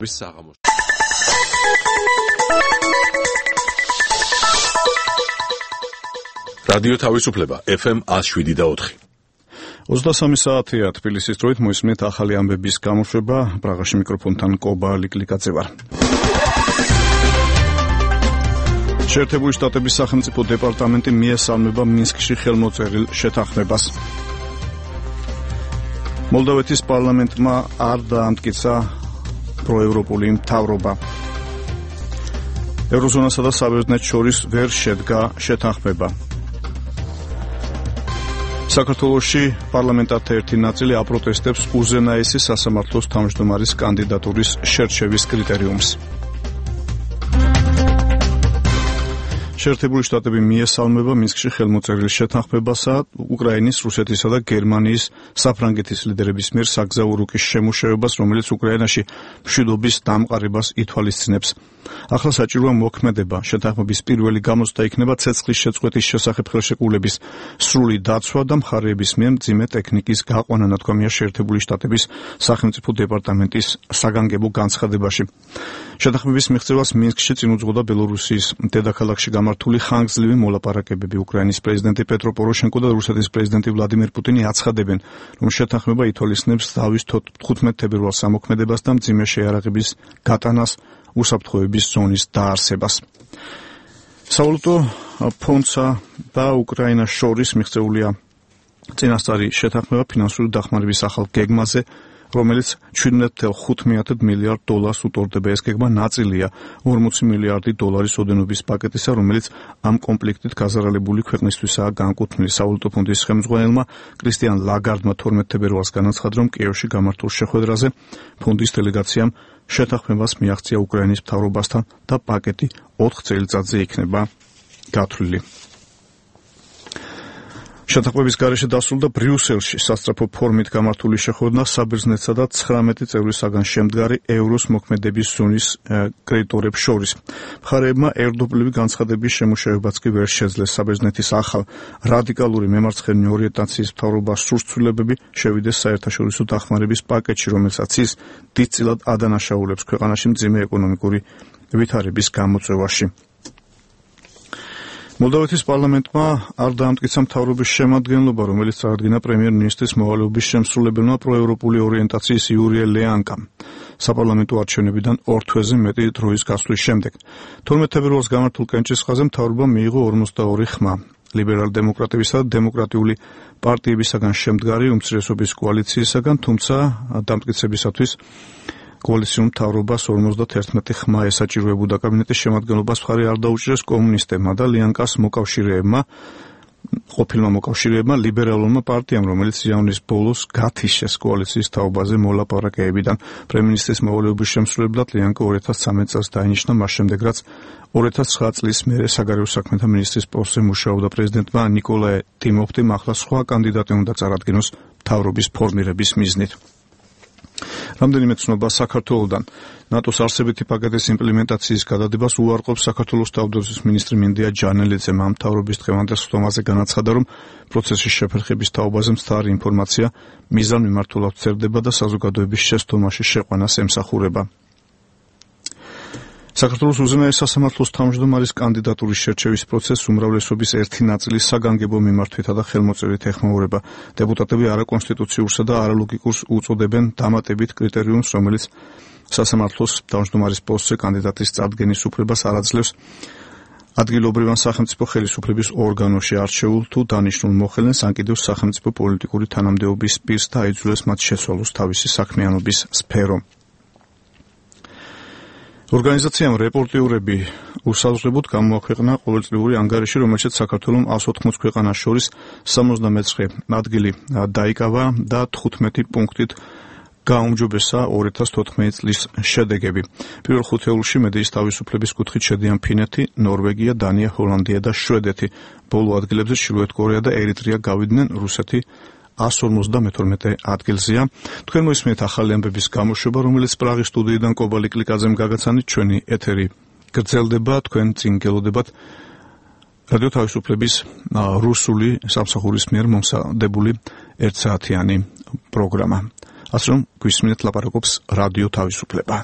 საღამოს. რადიო თავისუფლება FM 107.4. 23 საათია თბილისის დროით მოისმენთ ახალი ამბების გამოშვება. პრაღაში მიკროფონთან კობა ლიკლიკაძე ვარ. შეერთებული შტატების სახელმწიფო დეპარტამენტი მიესალმება მინსკში ხელმოწერილ შეთანხმებას. მოლდოვეთის პარლამენტმა არ დაამტკიცა პროევროპული მთავრობა. ევროზონასა და საბერძნეთს შორის ვერ შედგა შეთანხმება. საქართველოში პარლამენტართა ერთი ნაწილი აპროტესტებს უზენაესი სასამართლოს თავმჯდომარის კანდიდატურის შერჩევის კრიტერიუმს. შეერთებული შტატები მიესალმება მინსკში ხელმოწერილ შეთანხმებასა უკრაინის, რუსეთისა და გერმანიის საფრანგეთის ლიდერების მიერ საგზაო რუკის შემუშავებას, რომელიც უკრაინაში მშვიდობის დამყარებას ითვალისწინებს. ახლა საჭიროა მოქმედება. შეთანხმების პირველი გამოცდა იქნება ცეცხლის შეწყვეტის შესახებ ხელშეკრულების სრული დაცვა და მხარეების მიერ მძიმე ტექნიკის გაყვანა, ნათქვამია შეერთებული შტატების სახელმწიფო დეპარტამენტის საგანგებო განცხადებაში. შეთანხმების მიღწევას მინსკში წინ უძღოდა ბელორუსიის დედაქალაქში გამართული ხანგრძლივი მოლაპარაკებები. უკრაინის პრეზიდენტი პეტრო პოროშენკო და რუსეთის პრეზიდენტი ვლადიმერ პუტინი აცხადებენ, რომ შეთანხმება ითვალისწინებს დავის 15 თებერვალს ამოქმედებას და მძიმე შეიარაღების გატანას, უსაფრთხოების ზონის დაარსებას. სავალუტო ფონდსა და უკრაინას შორის მიღწეულია წინასწარი შეთანხმება ფინანსური დახმარების ახალ გეგმაზე, რომელიც 17.5 მილიარდ დოლარს უწოდება. ეს გეგმა ნაწილია 40 მილიარდი დოლარის ოდენობის პაკეტისა, რომელიც ამ კონფლიქტით გაზარალებული ქვეყნისთვისაა განკუთვნილი. სავალუტო ფონდის ხელმძღვანელმა კრისტიან ლაგარდმა 12 თებერვალს განაცხადა, რომ კიევში გამართულ შეხვედრაზე ფონდის დელეგაციამ შეთანხმებას მიაღწია უკრაინის მთავრობასთან და პაკეტი 4 წელიწადზე იქნება გათვლილი. შეთანხმების გარეშე დასრულდა ბრიუსელში სასწრაფო ფორმით გამართული შეხვედრა საბერძნეთსა და 19 წევრისაგან შემდგარი ევროს მოქმედების ზონის კრედიტორებს შორის. მხარეებმა ერთდროულად განცხადების შემუშავებაც კი ვერ შეძლეს. საბერძნეთის ახალ რადიკალური მემარცხენე ორიენტაციის მთავრობას სურს ცვლილებები შევიდეს საერთაშორისო დახმარების პაკეტში, რომელსაც ის დიდწილად ადანაშაულებს ქვეყანაში მძიმე ეკონომიკური ვითარების გამოწვევაში. მოლდოვეთის პარლამენტმა არ დაამტკიცა მთავრობის შემადგენლობა, რომელიც წარადგინა პრემიერ-მინისტრის მოვალეობის შემსრულებელმა პროევროპული ორიენტაციის იურია ლეანკამ. საპარლამენტო არჩევნებიდან 2 თვეზე მეტი დროის გასვლის შემდეგ. 12 თებერვალს გამართულ კენჭისყრაზე მთავრობამ მიიღო 42 ხმა. ლიბერალ-დემოკრატებისა და დემოკრატიული პარტიებისაგან შემდგარი უმცირესობის კოალიციისაგან, თუმცა დამტკიცებისათვის კოალიციურ მთავრობას 51 ხმა ესაჭიროებოდა. კაბინეტის შემადგენლობას მხარი არ დაუჭირეს კომუნისტებმა და ლიანკას ყოფილმა მოკავშირეებმა ლიბერალურმა პარტიამ, რომელიც იანვრის ბოლოს გათიშეს კოალიციის თაობაზე მოლაპარაკებებიდან. პრემიერ-მინისტრის მოვალეობის შემსრულებლად ლიანკა 2013 წელს დაინიშნა, მას შემდეგ რაც 2009 წლის მერე საგარეო საქმეთა მინისტრის პოსტზე მუშაობდა. პრეზიდენტმა ნიკოლაე ტიმოფტიმ ახლა სხვა კანდიდატი უნდა წარადგინოს მთავრობის ფორმირების მიზნით. რამდენიმე ცნობა საქართველოდან. ნატოს არსებითი პაკეტის იმპლემენტაციის გადადებას უარყოფს საქართველოს თავდაცვის მინისტრი მინდია ჯანელიძე. ამ მთავრობის დღევანდელ სხდომაზე განაცხადა, რომ პროცესის შეფერხების თაობაზე მცდარი ინფორმაცია მიზანმიმართულად ვრცელდება და საზოგადოების შესწომაში შეყვანას ემსახურება. საქართველოს უზენაეს სასამართლოს თავმჯდომარის კანდიდატურის შერჩევის პროცესს უმრავლესობის ერთი ნაწილის საგანგებო მიმართვითა და ხელმოწერით ეხმაურება. დეპუტატები არაკონსტიტუციურსა და არალოგიკურს უწოდებენ დამატებით კრიტერიუმს, რომელიც სასამართლოს თავმჯდომარის პოსტზე კანდიდატის წარდგენის უფლებას არ აძლევს ადგილობრივ ან სახელმწიფო ხელისუფლების ორგანოში არჩეულ თუ დანიშნულ მოხელეს, ან კიდევ სახელმწიფო პოლიტიკური თანამდებობის პირს და აიძულებს მათ შეცვალოს თავისი საქმიანობის სფერო. ორგანიზაციამ რეპორტიურები უსაზღვრებოდ გამოაქვეყნა ყოველწლიური ანგარიში, რომელშიც საქართველოს 180 ქვეყანას შორის 79 ადგილი დაიკავა და 15 პუნქტით გაუმჯობესა 2014 წლის შედეგები. პირველ ხუთეულში მედიის თავისუფლების კუთხით შედიან ფინეთი, ნორვეგია, დანია, ჰოლანდია და შვედეთი. ბოლო ადგილებზე ჩრდილოეთ კორეა და ერიტრეა გავიდნენ, რუსეთი 152 ადგილზეა. თქვენ მოისმენთ ახალი ამბების გამოშვება, რომელიც პრაღის სტუდიიდან კობა ლიკლიკაძემ გაგაცანით. ჩვენი ეთერი გრძელდება, თქვენ წინ გელოდებათ რადიო თავისუფლების რუსული სამსახურის მიერ მომსადებული 1 საათიანი პროგრამა. ასე რომ გვისმენთ ლაპარაკობს რადიო თავისუფლება.